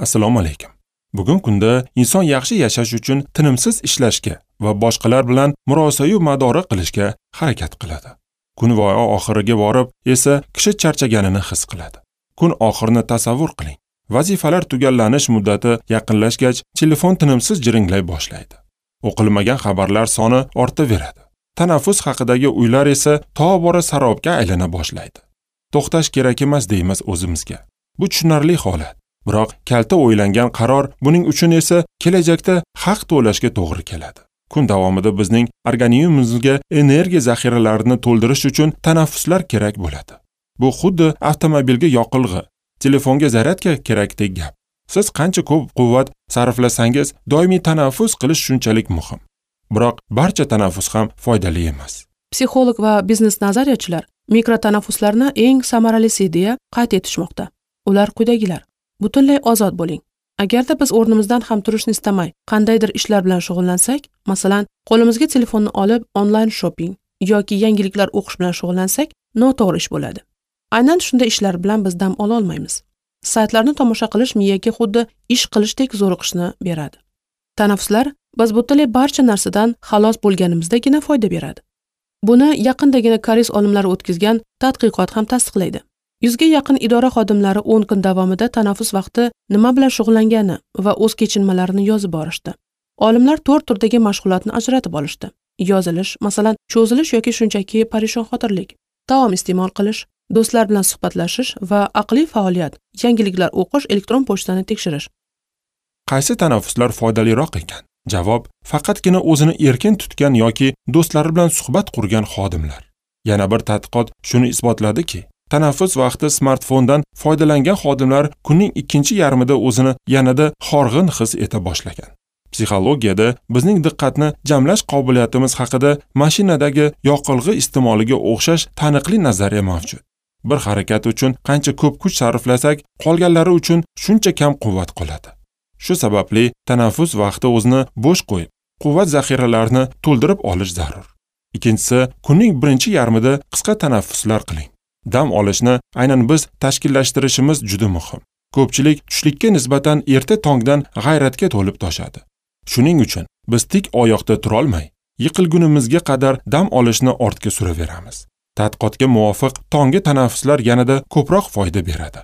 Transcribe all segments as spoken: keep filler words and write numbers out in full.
Assalomu alaykum. Bugun kunda inson yaxshi yashash uchun tinimsiz ishlashga va boshqalar bilan murosayu madora qilishga harakat qiladi. Kun va oxiriga borib esa kishi charchaganini his qiladi. Kun oxirini tasavvur qiling. Vazifalar tugallanish muddati yaqinlashgach, telefon tinimsiz jiringlay boshlaydi. O'qilmagan xabarlar soni ortaveradi. Tanaffus haqidagi uylar esa tobora sarobga aylana boshlaydi. To'xtash kerak emas deymiz o'zimizga. Bu tushunarli holat. Biroq kalta o'ylangan qaror buning uchun esa kelajakda haq to'lashga to'g'ri keladi. Kun davomida bizning organizmimizga energiya zaxiralarini to'ldirish uchun tanaffuslar kerak bo'ladi. Bu xuddi avtomobilga yoqilg'i, telefonga zaryadka kerakdek gap. Siz qancha ko'p quvvat sarflasangiz, doimiy tanaffus qilish shunchalik muhim. Biroq barcha tanaffus ham foydali emas. Psixolog va biznes nazariyachilar mikrotanaffuslarni eng samaralisi deya qayd etishmoqda. Ular quyidagilar: butunlay ozod bo'ling. Agarda biz o'rnimizdan ham turishni istamay, qandaydir ishlar bilan shug'ullansak, masalan, qo'limizga telefonni olib onlayn shopping yoki yangiliklar o'qish bilan shug'ullansak, noto'g'ri ish bo'ladi. Aynan shunday ishlar bilan biz dam ola olmaymiz. Saytlarni tomosha qilish miyaga xuddi ish qilishdek zo'riqishni beradi. Tanaffuslar biz butunlay barcha narsadan xalos bo'lganimizdagina foyda beradi. Buni yaqindagina koreys olimlari o'tkazgan tadqiqot ham tasdiqlaydi. Yuzga yaqin idora xodimlari o'n kun davomida tanaffus vaqti nima bilan shug'ullangani va o'z kechinmalarini yozib borishdi. Olimlar to'rt turdagi mashg'ulotni ajratib olishdi. Yozilish, masalan, cho'zilish yoki shunchaki parishonxotirlik, taom iste'mol qilish, do'stlar bilan suhbatlashish va aqliy faoliyat, yangiliklar o'qish, elektron pochtani tekshirish. Qaysi tanaffuslar foydaliroq ekan? Javob: faqatgina o'zini erkin tutgan yoki do'stlari bilan suhbat qurgan xodimlar. Yana bir tadqiqot shuni isbotladiki, tanaffus vaqti smartfondan foydalangan xodimlar kunning ikkinchi yarmida o'zini yanada horg'in his eta boshlagan. Psixologiyada bizning diqqatni jamlash qobiliyatimiz haqida mashinadagi yoqilg'i iste'moliga o'xshash taniqli nazariya mavjud. Bir harakat uchun qancha ko'p kuch sarflasak, qolganlari uchun shuncha kam quvvat qoladi. Shu sababli tanaffus vaqti o'zini bo'sh qo'yib, quvvat zaxiralarini to'ldirib olish zarur. Ikkinchisi, kunning birinchi yarmida qisqa tanaffuslar qiling. Dam olishni aynan biz tashkillashtirishimiz juda muhim. Ko'pchilik tushlikka nisbatan erta tongdan g'ayratga to'lib toshadi. Shuning uchun biz tik oyoqda turolmay, yiqilgunimizga qadar dam olishni ortga suraveramiz. Tadqiqotga muvofiq tonggi tanaffuslar yanada ko'proq foyda beradi.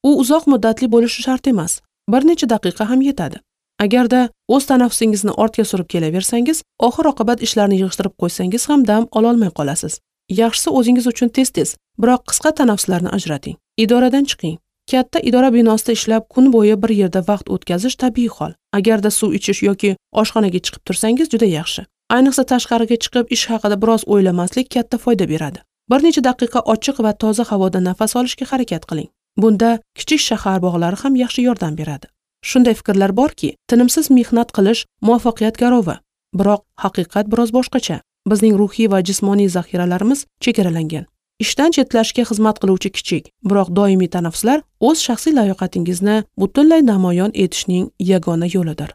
U uzoq muddatli bo'lishi shart emas. Bir necha daqiqa ham yetadi. Agarda o'z tanaffusingizni ortga surib kelaversangiz, oxir-oqibat ishlarni yig'ishtirib qo'ysangiz ham dam ololmay qolasiz. Yaxshisi o'zingiz uchun tez-tez, biroq qisqa tanaffuslarni ajrating. Idoradan chiqing. Katta idora binosida ishlab kun bo'yi bir yerda vaqt o'tkazish tabiiy hol. Agarda suv ichish yoki oshxonaga chiqib tursangiz juda yaxshi. Ayniqsa tashqariga chiqib ish haqida biroz o'ylamaslik katta foyda beradi. Bir necha daqiqa ochiq va toza havoda nafas olishga harakat qiling. Bunda kichik shahar bog'lari ham yaxshi yordam beradi. Shunday fikrlar borki, tinimsiz mehnat qilish muvaffaqiyat garovi. Biroq haqiqat biroz boshqacha. Bizning ruhiy va jismoniy zaxiralarimiz chegaralangan. Ishdan chetlashga xizmat qiluvchi kichik, biroq doimiy tanaffuslar o'z shaxsiy layoqatingizni butunlay namoyon etishning yagona yo'lidir.